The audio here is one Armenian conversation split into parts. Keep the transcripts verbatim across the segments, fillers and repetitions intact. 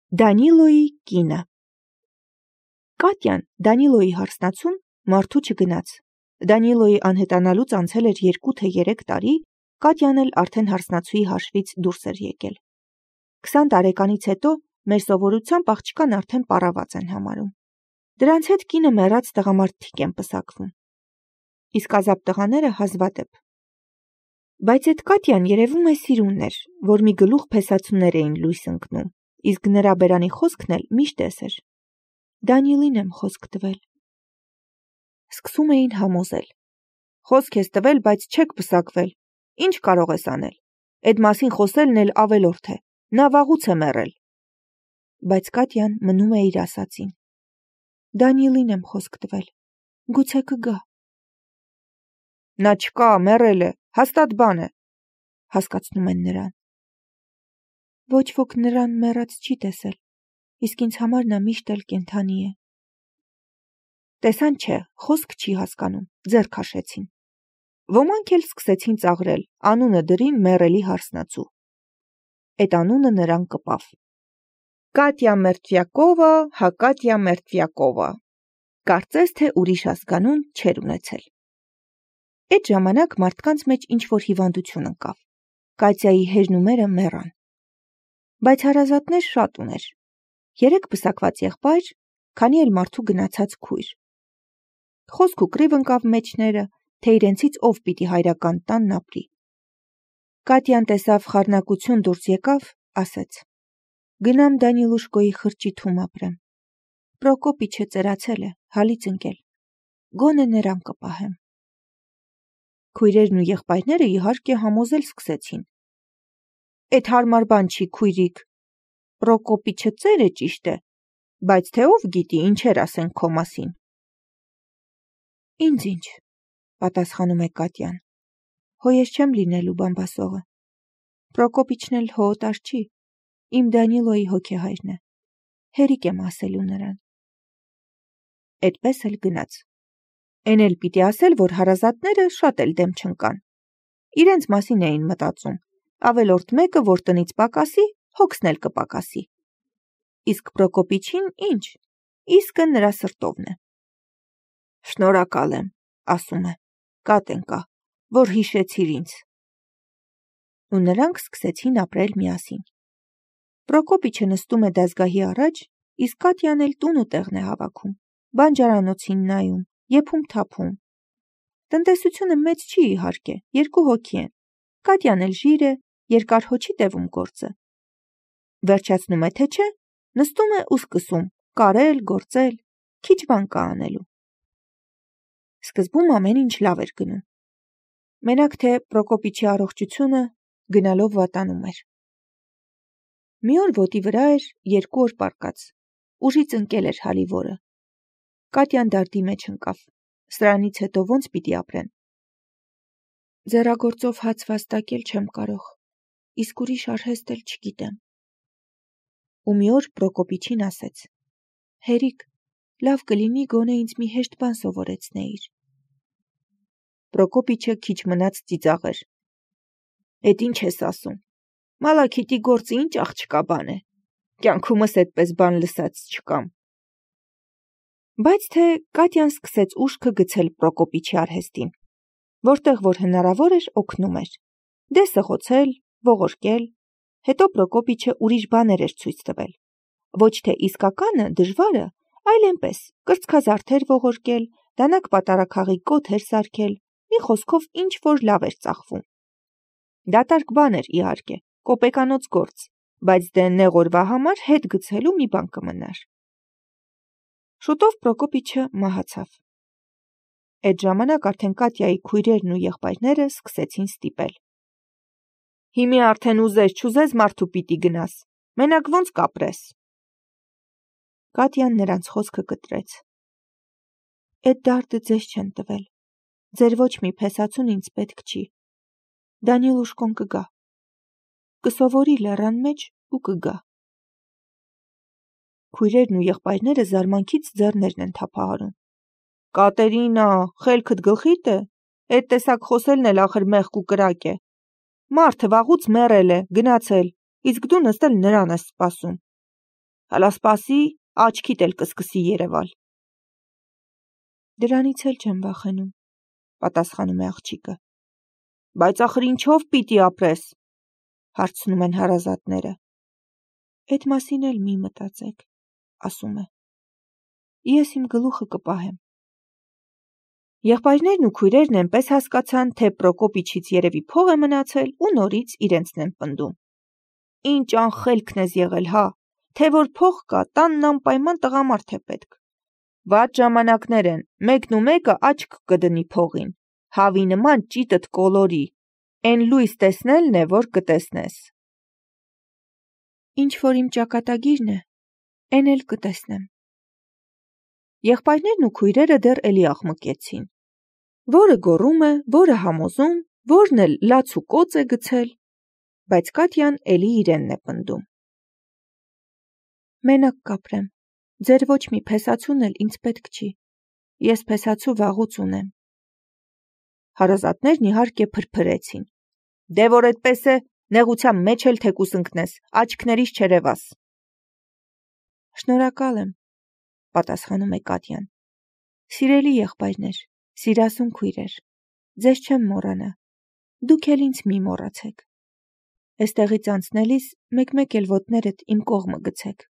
Դանիլոյի կինը Կատյան Դանիլոյի հարսնացուն մարդու չգնաց։ Դանիլոյի անհետանալուց անցել էր երկու թե երեք տարի, Կատյան էլ արդեն հարսնացուի հաշվից դուրս էր եկել։ Քսան տարեկանից հետո մեր սովորությամբ աղջկան արդեն պարաված են համարում։ Դրանց հետ կինը մեռած տղամարդիկ են պսակվում։ Իսկ ազատ տղաները հազվադեպ։ Բայց այդ Կատյան երևում է սիրուն էր, որ մի գլուխ փեսացուներ էին լույս ընկնում, իսկ նրա բերանի խոսքն էլ միշտ էս էր. Դանիելին եմ խոսք տվել։ Սկսում էին համոզել. Խոսք ես տվել, բայց չեք պսակվել, ինչ կարող ես անել, այդ մասին խոսելն էլ ավելորդ է, նա վաղուց է մեռել։ Բայց Կատյան մնում է իր ասածին. Դանիելին եմ խոսք տվել, գուցե կգա։ Նա չկա, մեռել է, հաստատ բան է, հասկացնում են նրան։ Ոչ ոք նրան մեռած չի տեսել, իսկ ինձ համար նա միշտ էլ կենդանի է։ Տեսան չէ, խոսք չի հասկանում, ձեռ քաշեցին։ Ոմանք էլ սկսեցին ծաղրել, անունը դրին մեռելի հարսնացու։ Այդ անունը նրան կպավ։ Կատյա Մերտվյակովա, հա Կատյա Մերտվյակովա։ Կարծես թե ուրիշ ազգանուն չէր ունեցել։ Այդ ժամանակ մարդկանց մեջ ինչ-որ հիվանդություն ընկավ։ Կատյայի հեզնումերը մեռան։ Բայց հարազատներ շատ ուներ։ Երեք պսակված եղբայր, քանի էլ մարդու գնացած քույր։ Խոսք ու կռիվ ընկավ մեջները, թե իրենցից ով պիտի հայրական տանն ապրի։ Կատյան տեսավ խառնակություն դուրս եկավ, ասեց. Գնամ Դանիլուշկոյի խրճիթում ապրեմ։ Պրոկոպիչը ծերացել է, հալից ընկել։ Գոնե նրան կպահեմ։ Քույրերն ու եղբայրները իհարկե համոզել սկսեցին։ Էդ հարմար բան չի, քույրիկ։ Պրոկոպիչը ծեր է ճիշտ է, բայց թե ով գիտի ինչեր ասեն քո մասին։ Ինձ ինչ, պատասխանում է Կատյան։ Հո ես չեմ լինելու բամբասողը։ Պրոկոպիչն էլ հո օտար չի, իմ Դանիլոյի հոգեհայրն է։ Հերիք եմ ասելու նրան։ Այդպես էլ գնաց։ Էն էլ պիտի ասել, որ հարազատները շատ էլ դեմ չընկան։ Իրենց մասին էին մտածում, ավելորդ մեկը, որ տնից պակասի, հոգսն էլ կպակասի։ Իսկ Պրոկոպիչին ինչ, իսկը նրա սրտովն է։ Շնորհակալ եմ, ասում է, Կատենկա, որ հիշեցիր ինձ։ Ու նրանք սկսեցին ապրել միասին։ Պրոկոպիչը նստում է դազգահի առաջ, իսկ Կատյան էլ տուն ու տեղն է հավաքում, բանջարանոցին նայում, եփում թափում։ Տնտեսությունը մեծ չի իհարկե, երկու հոգի են։ Կատյան էլ ժիր է, երկար հո չի տևում գործը։ Վերջացնում է, թե չէ, նստում է ու սկսում, կարել, գործել, քիչ բան կա անելու։ Սկզբում ամեն ինչ լավ էր գնում։ Մենակ թե Պրոկոպիչի առողջությունը գնալով վատանում էր։ Մի օր ոտի վրա էր երկու օր պառկած, ուժից ընկել էր հալիվորը։ Կատյան դարդի մեջ ընկավ, սրանից հետո ոնց պիտի ապրեն։ Ձեռագործով հաց վաստակել չեմ կարող, իսկ ուրիշ արհեստ էլ չգիտեմ։ Ու մի օր Պրոկոպիչին ասեց. Հերիք, լավ կլինի գոնե ինձ մի հեշտ բան սովորեցնեիր։ Պրոկոպիչը քիչ մնաց ծիծաղեր։ Էդ ինչ ես ասում։ Մալաքիտի գործը ինչ աղջկա բան է։ Կյանքումս այդպես բան լսած չկամ։ Բայց թե Կատյան սկսեց ուշքը գցել Պրոկոպիչի արհեստին, որտեղ որ հնարավոր էր օգնում էր։ Դե սղոցել, ողորկել, հետո Պրոկոպիչը ուրիշ բաներ էր ցույց տվել։ Ոչ թե իսկականը, դժվարը, այլ այնպես, կրծքազարդեր ողորկել, դանակ պատարագաղի կոթեր սարքել, մի խոսքով ինչ որ լավ էր ծախվում։ Դատարկ բան էր իհարկե, կոպեկանոց գործ, բայց դե նեղ օրվա համար հետ գցելու մի բան կմնար։ Շուտով Պրոկոպիչը մահացավ։ Այդ ժամանակ արդեն Կատյայի քույրերն ու եղբայրները սկսեցին ստիպել։ Հիմի արդեն ուզես չուզես մարդու պիտի գնաս, մենակ ոնց կապրես։ Կատյան նրանց խոսքը կտրեց։ Այդ դարդը ձեզ չեն տվել, ձեր ոչ մի փեսացուն ինձ պետք չի։ Դանիլուշկոն կգա, կսովորի լեռան մեջ ու կգա։ Քույրերն ու եղբայրները զարմանքից ձեռներն են թափահարում։ Կատերինա, խելքդ գլխիդ է, այդ տեսակ խոսելն էլ ախր մեղք ու կրակ է։ Մարդը վաղուց մեռել է, գնացել, իսկ դու նստել նրան ես սպասում։ Հլա սպասի, աչքիդ էլ կսկսի երևալ։ Դրանից էլ չեմ վախենում, պատասխանում է աղջիկը։ Բայց ախր ինչով պիտի ապրես, հարցնում են հարազատները։ Էդ մասին էլ մի մտածեք, ասում է։ Ես իմ գլուխը կպահեմ։ Եղբայրներն ու քույրերն այնպես հասկացան, թե Պրոկոպիչից երևի փող է մնացել ու նորից իրենցն են պնդում։ Ինչ անխելքն ես եղել, հա, թե որ փող կա, տանն անպայման տղամարդ է պետք։ Վատ ժամանակներ են, մեկն ու մեկը աչք կդնի փողին, հավի նման ճիտդ կոլորի, են լույս տեսնելն է, որ կտեսնես։ Ինչ որ իմ ճակատագիրն է, են էլ կտեսնեմ։ Եղբայրներն ու քույրերը դեռ էլի աղմկեցին։ Որը գոռում է, որը համոզում, որն էլ լաց ու կոծ է գցել, բայց Կատյան էլի իրենն է պնդում։ Մենակ կապրեմ, ձեր ոչ մի փեսացուն էլ ինձ պետք չի, ես փեսացու վաղուց ունեմ։ Հարազատներն իհարկե փրփրեցին։ Դե որ այդպես է, նեղության մեջ էլ թեկուս ընկնես, աչքներիս չերևաս։ Շնորհակալ եմ, պատասխանում է Կատյան։ Սիրելի եղբայրներ, սիրասուն քույրեր, ձեզ չեմ մոռանա, դուք էլ ինձ մի մոռացեք։ Էստեղից անցնելիս մեկ-մեկ էլ ոտներդ իմ կողմը գցեք։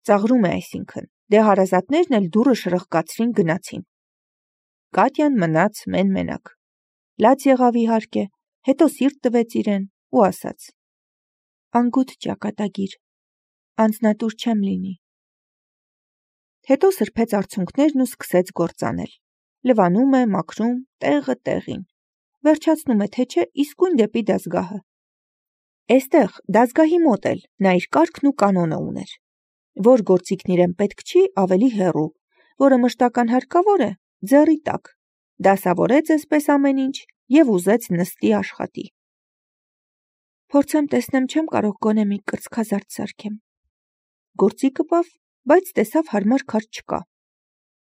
Ծաղրում է այսինքն, դե հարազատներն էլ դուռը շրխկացրին գնացին։ Կատյան մնաց մեն-մենակ։ Լաց եղավ իհարկե, հետո սիրտ տվեց իրեն ու ասաց. Անգութ ճակատագիր, անձնատուր չեմ լինի։ Հետո սրբեց արցունքներն ու սկսեց գործանել։ Լվանում է, մաքրում, տեղը տեղին։ Վերջացնում է, թե չէ, իսկույն դեպի դասգահը։ Էստեղ դասգահի մոտ էլ նա իր կարգն ու կանոնը ուներ։ Որ գործիքն իրեն պետք չի, ավելի հեռու, որը մշտական հարկավոր է, ձեռի տակ։ Դասավորեց այսպես ամեն ինչ և ուզեց նստի աշխատի։ Փորձեմ տեսնեմ չեմ կարող գոնե մի կրծքազարդ սարքեմ։ Գործիքը պավ, բայց տեսավ հարմար քարտ չկա։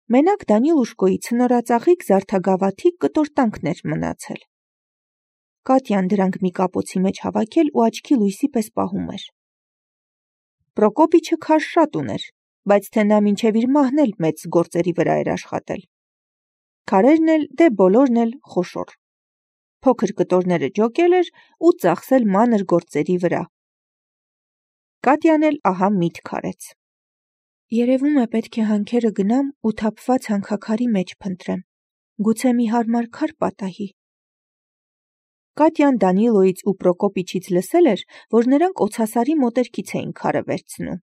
Մենակ Դանիլուշկոյի ցնորածաղիկ զարդագավաթի կտորտանքն էր մնացել։ Կատյան դրանք մի կապոցի մեջ հավաքել ու աչքի լույսի պես պահում էր։ Պրոկոպիչը քար շատ ուներ, բայց թե նա մինչև իր մահն էլ մեծ գործերի վրա էր աշխատել։ Քարերն էլ, դե բոլորն էլ խոշոր։ Փոքր կտորները ջոկել էր ու ծախսել մանր գործերի վրա։ Կատյան էլ ահա միտք արեց։ Երևում է պետք է հանքերը գնամ ու թափված հանքաքարի մեջ փնտրեմ, գուցե մի հարմար քար պատահի։ Կատյան Դանիլոյից ու Պրոկոպիչից լսել էր, որ նրանք օձասարի մոտերքից էին քարը վերցնում։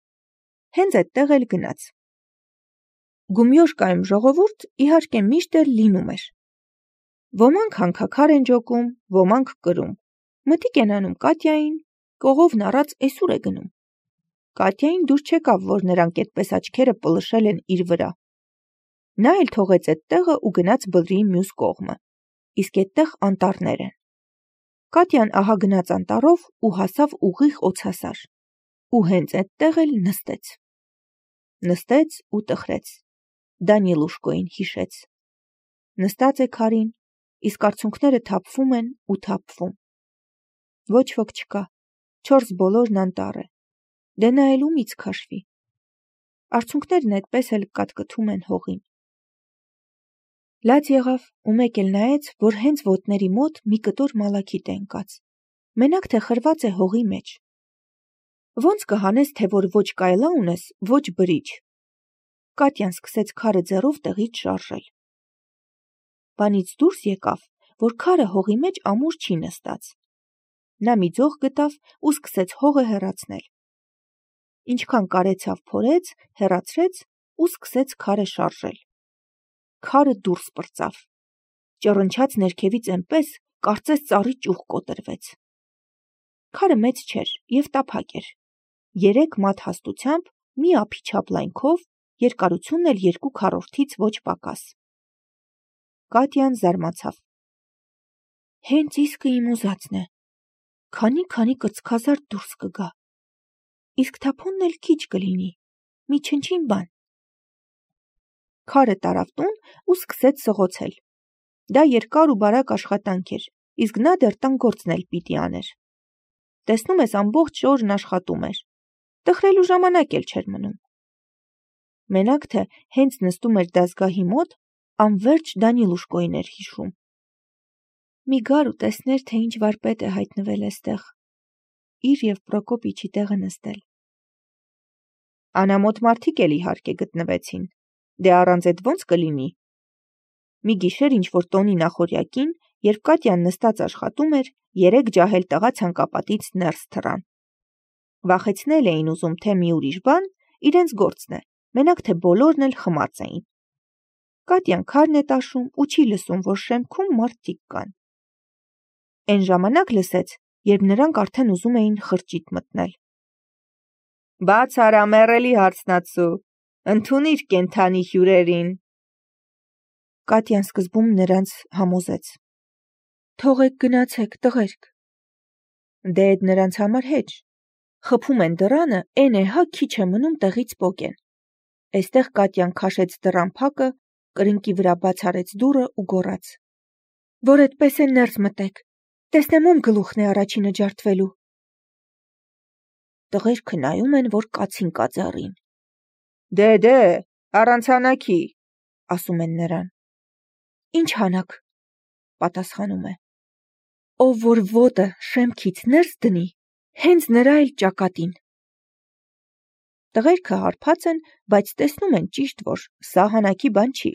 Հենց այդտեղ էլ գնաց։ Գումյոշկայում ժողովուրդ իհարկե միշտ էլ լինում էր։ Ոմանք հանքաքար են ջոկում, ոմանք կրում։ Մտիկ են անում Կատյային, կողովն առած էսուր է գնում։ Կատյային դուր չեկավ, որ նրանք այդպես աչքերը պլշել են իր վրա։ Նա էլ թողեց այդ տեղը ու գնաց բլրի մյուս կողմը, իսկ այդտեղ անտառներ են։ Կատյան ահա գնաց անտառով ու հասավ ուղիղ օձասար, ու հենց այդտեղ էլ նստեց։ Նստեց ու տխրեց, Դանիլուշկոյին հիշեց։ Նստած է քարին, իսկ արցունքները թափվում են ու թափվում։ Ոչ ոք չկա, չորս բոլորն անտառ է։ Դե նա էլ ումից քաշվի։ Արցունքներն այդպես էլ կատկթում են հողին։ Լաց եղավ ու մեկ էլ նայեց, որ հենց ոտների մոտ մի կտոր մալաքիտ է ընկած, մենակ թե խրված է հողի մեջ։ Ոնց կհանես, թե որ ոչ կայլա ունես, ոչ բրիչ։ Կատյան սկսեց քարը ձեռով տեղից շարժել։ Բանից դուրս եկավ, որ քարը հողի մեջ ամուր չի նստած։ Նա մի ձող գտավ ու սկսեց հողը հեռացնել։ Ինչքան կարեցավ փորեց, հեռացրեց ու սկսեց քարը շարժել։ Քարը դուրս պրծավ։ Ճռնչաց ներքևից այնպես, կարծես ծառի ճյուղ կոտրվեց։ Քարը մեծ չէր և տափակ էր։ Երեք մատ հաստությամբ, մի ափի չափ լայնքով, երկարությունն էլ երկու քառորդից ոչ պակաս։ Կատյան զարմացավ։ Հենց իսկը իմ ուզածն է։ Քանի-քանի կրծքազարդ դուրս կգա։ Իսկ թափոնն էլ քիչ կլինի, մի չնչին բան։ Քարը տարավ տուն ու սկսեց սղոցել։ Դա երկար ու բարակ աշխատանք էր, իսկ նա դեռ տան գործն էլ պիտի աներ։ Տեսնում ես ամբողջ օրն աշխատում էր։ Տխրելու ժամանակ էլ չէր մնում։ Մենակ թե հենց նստում էր դասգահի մոտ, անverջ Դանիլուշկոին էր հիշում։ Մի գար ու տեսներ, թե ինչ վարպետ է հայտնվել էստեղ, իր և Պրոկոպիչի տեղը նստել։ Անամոթ մարդիկ էլ իհարկե գտնվեցին, դե առանց էդ ոնց կլինի։ Մի գիշեր ինչ-որ տոնի նախօրյակին, երբ Կատյան նստած աշխատում էր, երեք ջահել տղա ցանկապատից ներս թռան։ Վախեցնել էին ուզում, թե մի ուրիշ բան, իրենց գործն է, մենակ թե բոլորն էլ խմած էին։ Կատյան քարն է տաշում ու չի լսում, որ շեմքում մարդիկ կան։ Էն ժամանակ լսեց, երբ նրանք արդեն ուզում էին խրճիթ մտնել։ Բաց արա, մեռելի հարցնացու, ընդունիր կենդանի հյուրերին։ Կատյան սկզբում նրանց համոզեց. Թողեք գնացեք, տղերք։ Դե էդ նրանց համար հեչ։ Խփում են դռանը, էն է հա քիչ է մնում տեղից պոկեն։ Էստեղ Կատյան քաշեց դռան փակը, կրնկի վրա բաց արեց դուռը ու գոռաց. Որ էդպես է ներս մտեք, տեսնեմ ում գլուխն է առաջինը ջարդվելու։ Տղերքը նայում են, որ կացին կա ձեռին։ Դե դե, առանց հանակի, ասում են նրան։ Ինչ հանակ, պատասխանում է։ Ով որ ոտը շեմքից ներս դնի, հենց նրա էլ ճակատին։ Տղերքը հարբած են, բայց տեսնում են ճիշտ, որ սա հանակի բան չի։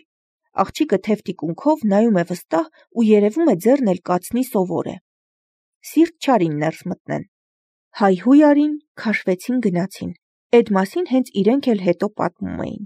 Աղջիկը թև տիկունքով նայում է վստահ ու երևում է ձեռն էլ կացնի սովոր է։ Սիրտ չարին ներս մտնեն։ Հայհույ արին, քաշվեցին գնացին։ Էդ մասին հենց իրենք էլ հետո պատմում էին։